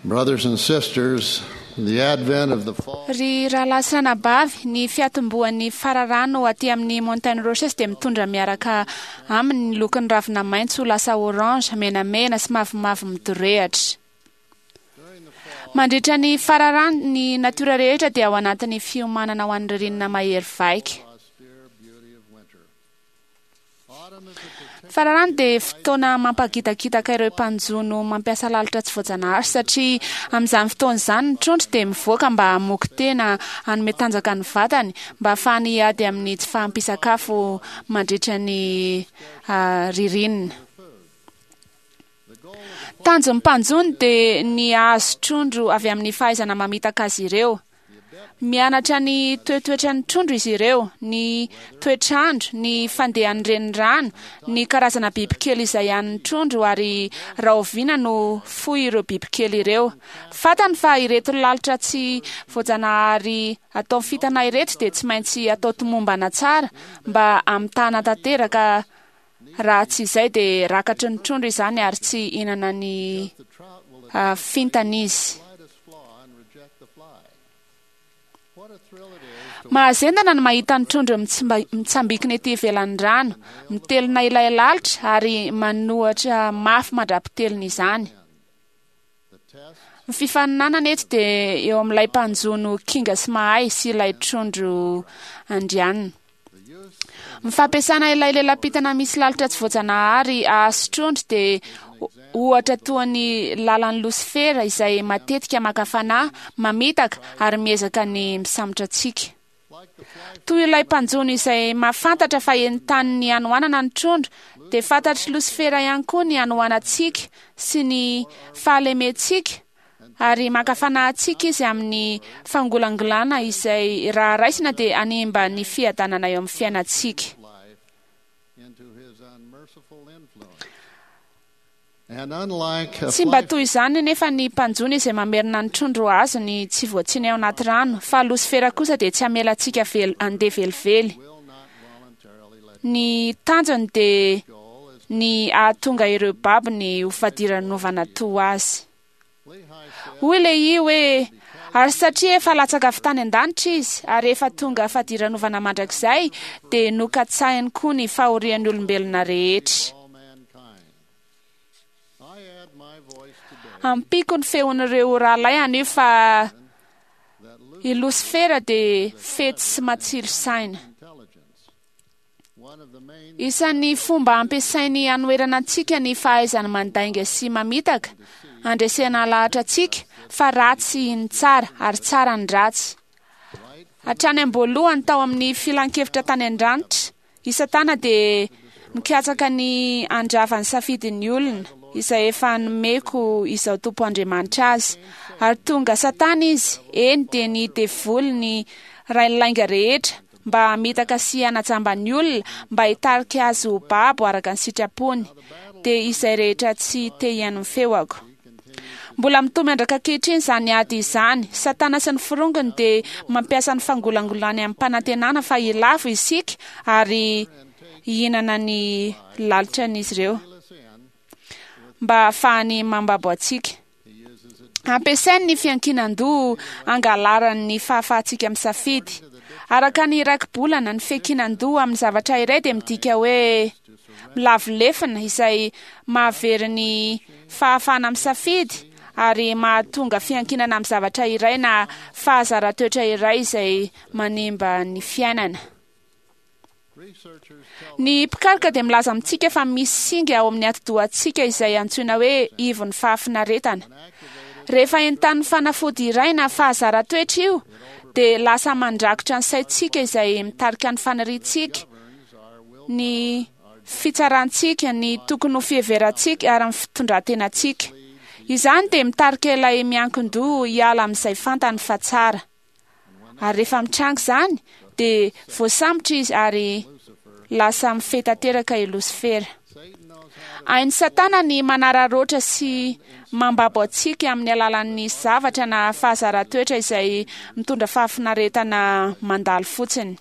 Brothers and sisters, the advent of the fall Ry rahalahy sy ranabavy, ny fiatombohan'ny fararano aty amin'ny Montagne Rocheuse dia mitondra miaraka aminy ny lokon'ny ravina maitso ho lasa orange, menamena sy mavomavo midorehatra. Mandritra ny fararano, ny natiora rehetra dia ao anatin'ny fiomanana ho an'ny ririnina mahery vaika. austere beauty of winter. Autumn is a particular Fararano dia fotoana mampagitakitaka ireo mpanjono mampiasa lalitra tsy voajanahary satria amin'izany fotoana izany ny trondro dia mivoaka mba hamoky tena hanome tanjaka ny vatany mba hahafahany hiady amin'ny tsy fahampian-tsakafo mandritra ny ririnina. Tanjon'ny mpanjono dia ny hahazo trondro avy amin'ny fahaizana mamitaka azy ireo. Mianatra ny toetoetran'ny trondro izy ireo, ny toetr'andro, ny fandehan'ny renirano, ny karazana bibikely izay hanin'ny trondro ary rahoviana no foy ireo bibikely ireo. Fantany fa ireto lalitra tsy voajanahary atao fintana ireto dia tsy maintsy atao tomombana tsara mba hamitahana tanteraka raha tsy izay dia rakatry ny trondro izany ary tsy hihinana ny the trout will fintana izy. slightest flaw and reject the fly. What a thrill it is to Mahazendana ny mahita ny trondro mitsambikina ety ivelan'ny rano, mitelina ilay lalitra ary manohatra mafy mandra-pitelina izany. the test Ny fifaninanana eto dia eo amin'ilay mpanjono kinga sy mahay sy ilay trondro andrianina. the use Ny fampiasana ilay lelam-pintana misy lalitra tsy voajanahary hahazo trondro dia ohatra toa ny lalan'ny losifera izay matetika maka fanahy, mamitaka ary miezaka ny misambotra antsika. like the fly Toy ilay mpanjono izay mahafantatra fa entanin'ny hanoanana ny trondro, dia fantatr'i Losifera ihany koa ny hanoanantsika sy ny fahalementsika ary maka fanahy antsika izy amin'ny fangolangolana izay raha raisina dia hanimba ny fiadanana eo amin'ny fiainantsika. life into his unmerciful influence. And unlike a Tsy mba fly toy izany nefa ny mpanjono izay mamerina ny trondro azony tsy voatsiny ao anaty rano, fa Losifera kosa dia tsy hamela antsika handeha velively. will not voluntarily let Ny tanjony dia goal is ny hahatonga ireo babony ho fadiranovana toa azy. Lehi said Hoy Lehi hoe ary satria efa latsaka avy tany an-danitra izy ary efa tonga fadiranovana mandrakizay dia nokatsahiny koa ny fahorian'ny olombelona rehetra. all mankind. I add my voice today Ampiko ny feon'ireo rahalahy anio fa that i Losifera dia fetsy sy matsilo saina. intelligence, one of the main Isan'ny fomba ampiasainy hanoherana antsika ny fahaizany mandainga sy mamitaka, andresena lahatra antsika fa ratsy ny tsara ary tsara ny ratsy. right Hatrany am-boalohany tao amin'ny filan-kevitra tany an-danitra, i Satana dia mikatsaka ny handrava ny safidin'ny olona izay efa nomeko izao Tompo Andriamanitra azy. Ary tonga Satana izy, eny dia ny devoly ny rain'ny lainga rehetra mba hamitaka sy hanajamba ny olona mba hitarika azy ho babo araka ny sitrapony, dia izay rehetra tsy te hihaino ny feoko. Mbola mitohy miandraka ankehitriny izany ady izany. Satana sy ny forongony dia mampiasa ny fangolangolany amim-panantenana fa hilavo isika ary hihinana ny lalitran'izy ireo us in, mba hahafahany mambabo antsika. he uses it Ampiasainy ny fiankinan-doha hangalarany ny fahafahantsika misafidy. Araka ny rakibolana, ny fiankinan-doha amin'ny zavatra iray dia midika hoe milavo lefona izay mahavery ny fahafahana misafidy ary mahatonga fiankinana amin'ny zavatra iray na fahazaran-toetra iray izay manimba ny fiainana. researchers tell Ny mpikaroka dia milaza amintsika fa misy singa ao amin'ny atidohantsika izay antsoina hoe ivon'ny fahafinaretana. Rehefa entanin'ny fanafody iray na fahazaran-toetra io, dia lasa mandrakotra ny saintsika izay mitarika ny faniriantsika, governs our will ny fitsarantsika, ny tokony ho fiheverantsika ary ny fitondran-tenantsika. Izany dia mitarika ilay miankin-doha hiala amin'izay fantany fa tsara. Ary rehefa mitranga izany, dia voasambotra izy ary lasa mifehy tanteraka i Losifera. Satan knows how to Hain'i Satana ny manararaotra sy mambabo antsika amin'ny alalan'ny zavatra na fahazaran-toetra izay mitondra fahafinaretana mandalo fotsiny.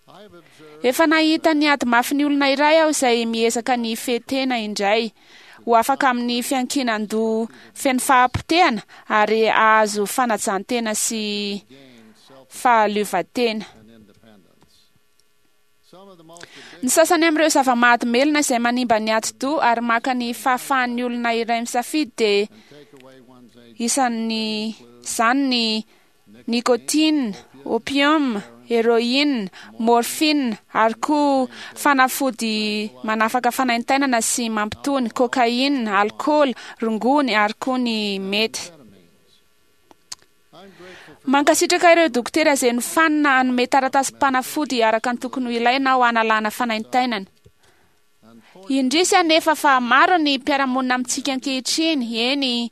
I've observed Efa nahita ny ady mafy ny olona iray aho izay miezaka ny hifehy tena indray. ho afaka amin'ny fiankinan-doha feno fahapotehana ary hahazo fanajan-tena sy fahaleovantena. and independence. Some of the most Ny sasany amin'ireo zava-mahadomelina izay manimba ny atidoha ary maka ny fahafahan'ny olona iray misafidy dia take away one's agency isan'ny izany ny nicotine, opium, héroïne, morphine ary koa fanafody manafaka fanaintainana sy mampitony, cocaïne, alcool, rongony ary koa ny mety. amphetamines. I'm grateful for Mankasitraka ireo dokotera izay nofanina hanome taratasim-panafody araka ny tokony ho ilaina ho analana fanaintainana. Indrisy anefa fa maro ny mpiara-monina amintsika ankehitriny, eny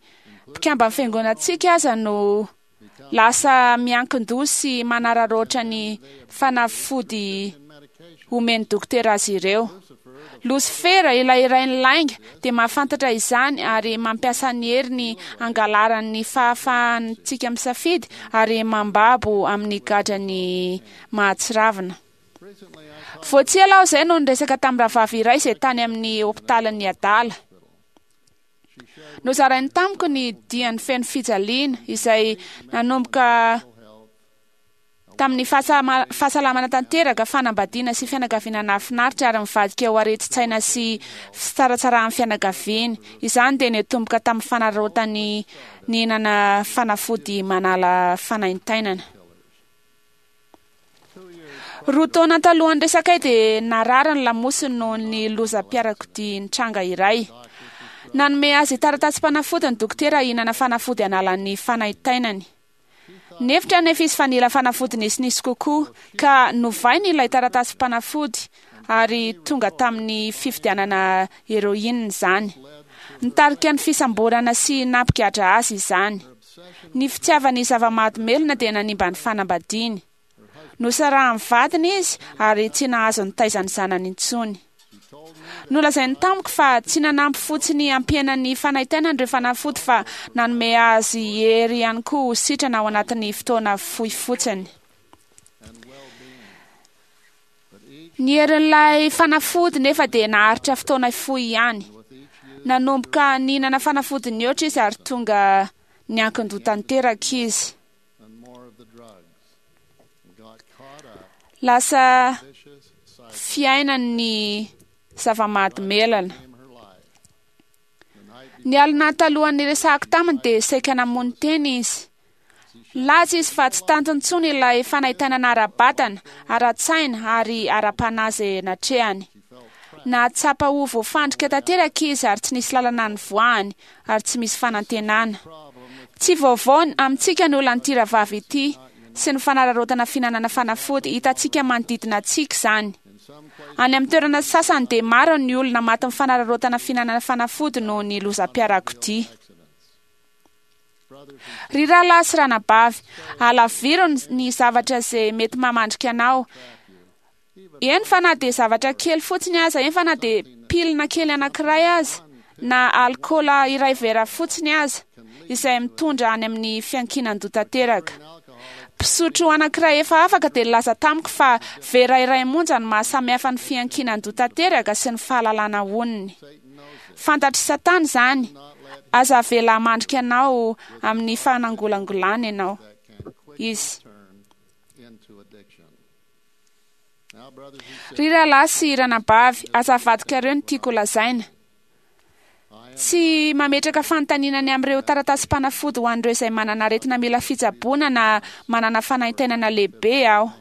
mpikamba amin'ny fiangonantsika aza no lasa miankin-doha sy manararaotra ny fanafody medication. omen'ny dokotera azy ireo. Losifera, ilay rain'ny lainga, dia mahafantatra izany ary mampiasa ny heriny hangalarany fahafahantsika misafidy ary mambabo amin'ny gadrany mahatsiravina. Recently, I talked Vao tsy ela aho izay no niresaka tamin'ny rahavavy iray izay tany amin'ny hopitalin'ny adala. She shared Nozarainy tamiko ny diany feno fijaliana izay nanomboka health tamin'ny fahasalamana tanteraka, fanambadiana sy fianakaviana nahafinaritra ary mivadika ho aretin-tsaina sy fitsaratsaran'ny fianakaviany. Izany dia nitomboka tamin'ny fanararaotany nihinana fanafody manala fanaintainana. 2 years Roa taona talohan'ny resakay dia narary ny lamosiny noho ny lozam-piarakodia nitranga iray. Nanome azy taratasim-panafody ny dokotera hihinana fanafody analan'ny fanaintainany. Nihevitra anefa izy fa nila fanafody nisinisy kokoa ka novainy ilay taratasim-panafody ary tonga tamin'ny fividianana héroïne izany. Nitarika ny fisamborana sy nampigadra azy izany. Ny fitiavany zava-mahadomelina dia nanimba ny fanambadiany. Nosarahan'ny vadiny izy ary tsy nahazo nitaiza ny zanany intsony. She told me Nolazainy tamiko fa tsy nanampy fotsiny hampiaina ny fanaintainany ireo fanafody fa nanome azy hery ihany koa ho sitrana ao anatin'ny fotoana fohy fotsiny. and well-being. But each Ny herin'ilay fanafody nefa dia naharitra fotoana fohy ihany. with each use Nanomboka nihinana fanafody nihoatra izy ary tonga niankin-doha tanteraka izy. and more of the drugs and got caught up Lasa vicious cycle fiainany zava-mahadomelina. came her life. The night Ny alina talohan'ny resahako taminy dia saika namono tena izy. Nilaza izy fa tsy tantiny intsony ilay fanaintainana ara-batana, ara-tsaina ary ara-panahy izay natrehany. she felt trapped Nahatsapa ho voafandrika tanteraka izy ary tsy nisy lalana nivoahany ary tsy misy fanantenana. problem with Tsy vaovao amintsika ny olan'ity rahavavy ity sy ny fanararaotana fihinanana fanafody hitantsika manodidina antsika izany. in some places Any amin'ny toerana sasany dia maro ny olona matin'ny fanararaotana fihinanana fanafody noho ny lozam-piarakodia. accidents. Brothers and Ry rahalahy sy ranabavy, alaviro ny zavatra izay mety mamandrika anao. Eny fa na dia zavatra kely fotsiny aza, eny fa na dia pilina kely anankiray aza, na alkaola iray vera fotsiny aza, izay mitondra any amin'ny fiankinan-doha tanteraka. an alcoholic Mpisotro anankiray efa afaka dia nilaza tamiko fa vera iray monja no mahasamihafa ny fiankinan-doha tanteraka sy ny fahalalana onony. Satan knows it. Fantatr'i Satana izany. Not let Aza avela hamandrika anao amin'ny fanangolangolana ianao. that can quickly Izy. turn into addiction. Now, brothers and Ry sisters, rahalahy sy ranabavy, aza avadikareo ny tiako lazaina. I am Tsy mametraka fanontaniana ny amin'ireo taratasim-panafody ho an'ireo izay manana aretina mila fitsaboana na manana fanaintainana lehibe aho.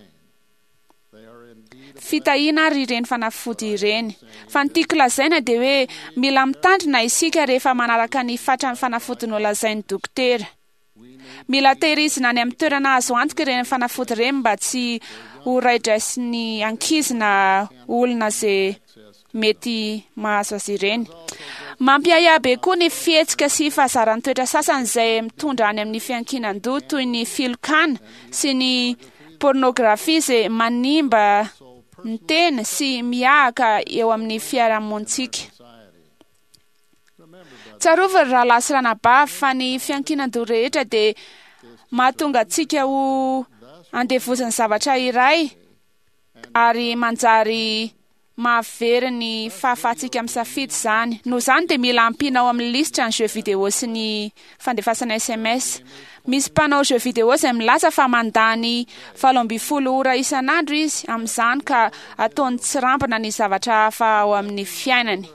they are indeed a Fitahiana ary ireny fanafody ireny. Fa ny tiako lazaina dia hoe mila mitandrina isika rehefa manaraka ny fatran'ny fanafody nolazain'ny dokotera. we need Mila tehirizina any amin'ny toerana azo antoka ireny fanafody ireny mba tsy ho raidraisin'ny ankizy na olona izay access to mety mahazo azy ireny. Mampiahiahy be koa ny fihetsika sy fahazaran-toetra sasany izay mitondra any amin'ny fiankinan-doha toy ny filokana sy ny pornografia izay manimba soul ny tena sy miahaka eo amin'ny fiarahamonintsika. society. Remember, brothers, Tsarovy ry rahalahy sy ranabavy fa ny fiankinan-doha rehetra dia mahatonga antsika ho thus andevozin'ny zavatra iray ary manjary Mahavery ny fahafahantsika misafidy izany. Noho izany dia mila ampiana ao amin'ny lisitra ny jeux vidéo sy ny fandefasana sms. Misy mpanao jeux vidéo izay milaza fa mandany 18 ora isan'andro izy amin'izany ka ataony tsirambina ny zavatra hafa ao amin'ny fiainany.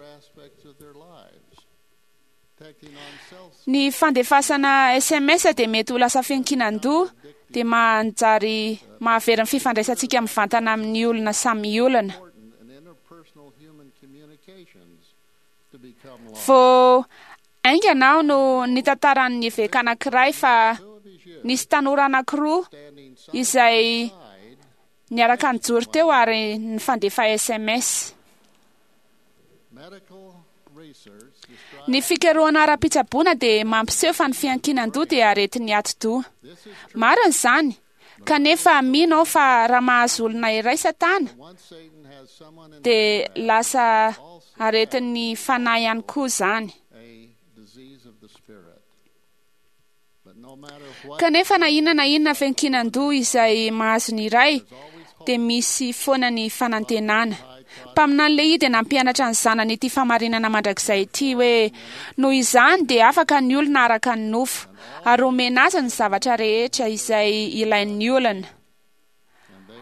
Ny fandefasana sms dia mety ho lasa fiankinan-doha dia manjary mahavery ny fifandraisantsika mivantana amin'ny olona samy olona. Vao haingana aho no nitantaran'ny eveka anankiray fa nisy tanora anankiroa izay niaraka nijoro teo ary nifandefa sms. Ny fikarohana ara-pitsaboana dia mampiseho fa ny fiankinan-doha dia aretin'ny atidoha. Marina izany, kanefa mino aho fa raha mahazo olona iray Satana dia lasa aretin'ny fanahy ihany koa izany. Kanefa na inona na inona fiankinan-doha izay mahazo ny iray dia misy foana ny fanantenana. Mpaminany Lehia dia nampianatra ny zanany ity famarinana mandrakizay ity hoe, Noho izany dia afaka ny olona araka ny nofo, ary omena azy ny zavatra rehetra izay ilain'ny olona.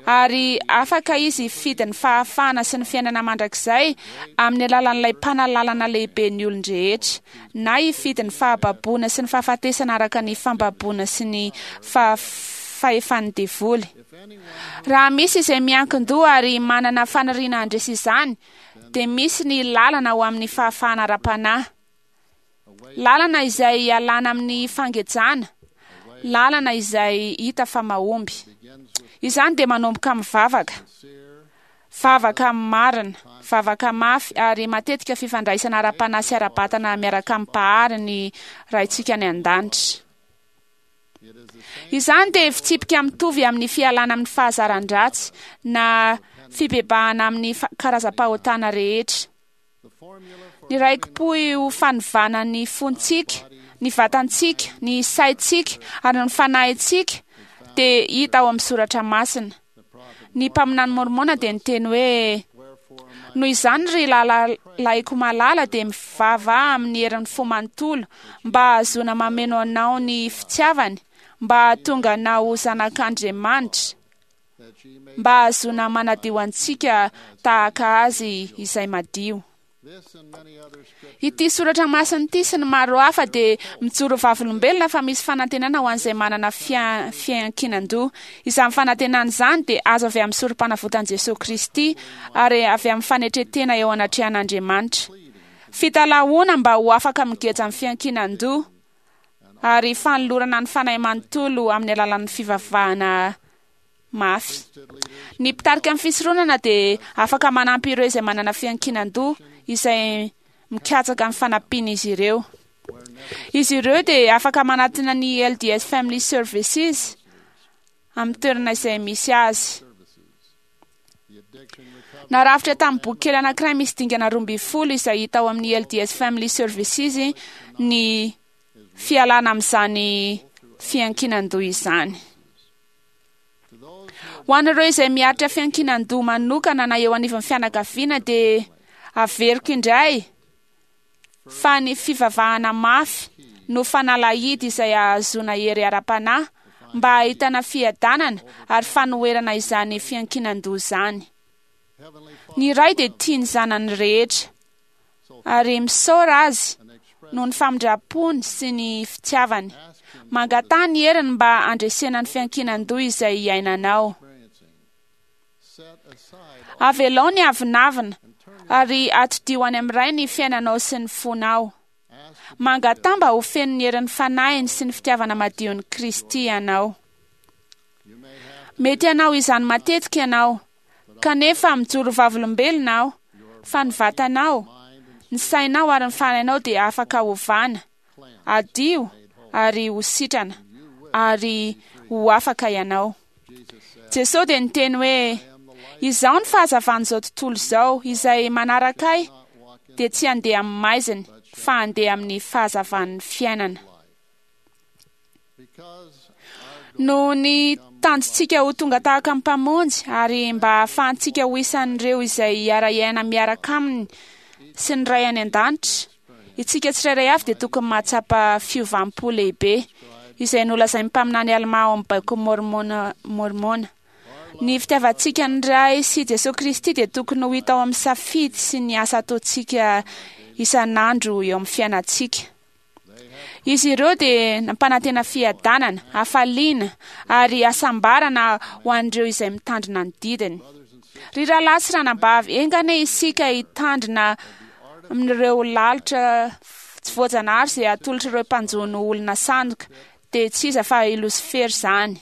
Ary afaka izy hifidy ny fahafahana sy ny fiainana mandrakizay amin'ny alalan'ilay Mpanalalana lehiben'ny olon-drehetra, na hifidy ny fahababoana sy ny fahafatesana araka ny fambaboana sy ny fahefan'ny devoly. Raha misy izay miankin-doha ary manana faniriana handresy izany, dia misy ny lalana ho amin'ny fahafahana ara-panahy. Lalana izay ialana amin'ny fangejana, lalana izay hita fa mahomby. Izany dia manomboka amin'ny vavaka. Vavaka marina, vavaka mafy ary matetika fifandraisana ara-panahy sy ara-batana miaraka amin'ny Mpahary ny Raintsika any an-danitra. Izany dia fitsipika mitovy amin'ny fialana amin'ny fahazaran-dratsy na fibebahana amin'ny karazam-pahotana rehetra. Ny raiki-pohy ho fanovana ny fontsika, ny vatantsika, ny saintsika ary ny fanahintsika dia hita ao amin'ny soratra masina. Ny mpaminany Môrmôna dia niteny hoe, Noho izany, ry lahalahiko malala, dia mivavaha amin'ny herin'ny fo manontolo mba hahazoana mameno anao ny fitiavany, mba hahatonga anao ho zanak'Andriamanitra, mba hahazoana manadio antsika tahaka Azy izay madio. Ity soratra masina ity sy ny maro hafa dia mijoro vavolombelona fa misy fanantenana ho an'izay manana fiankinan-doha. Izany fanantenana izany dia azo avy amin'ny sorom-panavotan'i Jesoa Kristy ary avy amin'ny fanetren-tena eo anatrehan'Andriamanitra. Fitalahoana mba ho afaka migeja amin'ny fiankinan-doha ary fanolorana ny fanahy manontolo amin'ny alalan'ny fivavahana mafy. Ny mpitarika ny fisoronana dia afaka manampy ireo izay manana fiankinan-doha izay mikatsaka ny fanampian'izy ireo. Izy ireo dia afaka manatona ny LDS Family Services amin'ny toerana izay misy azy. Narafitra tamin'ny boky kely anankiray misy dingana 12 izay hita ao amin'ny LDS Family Services ny fialana amin'izany fiankinan-doha izany. Ho an'ireo izay miaritra fiankinan-doha manokana na eo anivon'ny fianakaviana dia averiko indray fa ny fivavahana mafy no fanalahidy izay ahazoana hery ara-panahy mba hahitana fiadanana ary fanoherana izany fiankinan-doha izany. Ny Ray dia tia ny zanany rehetra ary misaora Azy noho ny famindram-pony sy ny fitiavany. Mangataha ny heriny mba handresena ny fiankinan-doha izay iainanao. Avelao ny avonavona ary atodiho any amin'ny Ray ny fiainanao sy ny fonao. Mangataha mba ho feno ny herin'ny Fanahiny sy ny fitiavana madion'i Kristy ianao. Mety hanao izany matetika ianao, kanefa mijoro vavolombelona aho fa ny vatanao, ny sainao ary ny fanahinao dia afaka hovana, hadio ary ho sitrana, ary ho afaka ianao. Jesosy dia niteny hoe, Izaho ny fahazavan'izao tontolo izao, izay manaraka Ahy dia tsy handeha amin'ny maizina, fa handeha amin'ny fahazavan'ny fiainana. Noho ny tanjontsika ho tonga tahaka ny Mpamonjy ary mba hahafahantsika ho isan'ireo izay hiara-hiaina miaraka Aminy sy ny Ray any An-danitra, isika tsirairay avy dia tokony mahatsapa fiovam-po lehibe, izay nolazain'ny mpaminany Almà ao amin'ny Baikon'i Môrmôna, Môrmôna. Ny fitiavantsika ny Ray sy Jesoa Kristy dia tokony ho hita ao amin'ny safidy sy ny asa ataontsika isan'andro eo amin'ny fiainantsika. Izy ireo dia nampanantena fiadanana, hafaliana ary hasambarana ho an'ireo izay mitandrina ny didiny. Ry rahalahy sy ranabavy, enga anie isika hitandrina amin'ireo lalitra tsy voajanahary izay atolotr'ireo mpanjono olona sandoka, dia tsy iza fa i Losifera izany.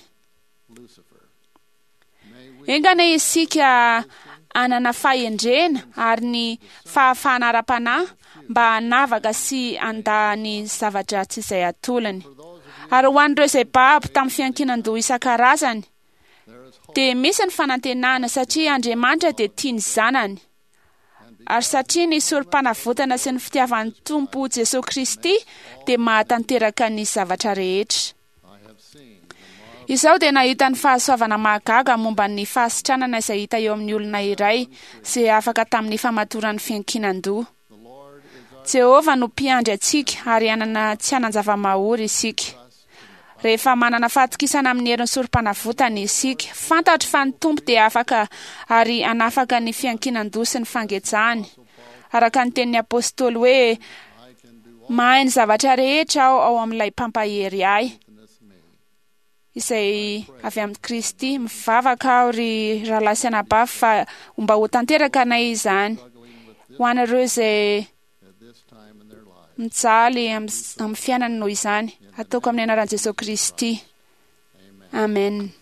Enga anie isika hanana fahendrena ary ny fahafahana ara-panahy mba hanavaka sy handà ny zava-dratsy izay atolony. Ary ho an'ireo izay babo tamin'ny fiankinan-doha isan-karazany, dia misy ny fanantenana satria Andriamanitra dia tia ny zanany. Ary satria ny Sorompanavotana sy ny fitiavan'ny Tompo Jesoa Kristy dia mahatanteraka ny zavatra rehetra. Izaho dia nahita ny fahasoavana mahagaga momba ny fahasitranana izay hita eo amin'ny olona iray izay afaka tamin'ny famatoran'ny fiankinan-doha. Jehovah no Mpiandry antsika ary hanana tsy hanan-java-mahory isika. Rehefa manana fahatokisana amin'ny herin'ny Sorompanavotana isika, fantatro fa ny Tompo dia afaka ary hanafaka ny fiankinan-doha sy ny fangejany. Araka ny tenin'ny Apostoly hoe, Mahay ny zavatra rehetra aho ao amin'ilay Mpampahery ahy, izay avy amin'i Kristy. Mivavaka aho, ry rahalahy sy anabavy, fa mba ho tanteraka anay izany. Ho anareo izay mijaly amin'ny fiainany noho izany, ataoko amin'ny anaran'i Jesoa Kristy. Amen.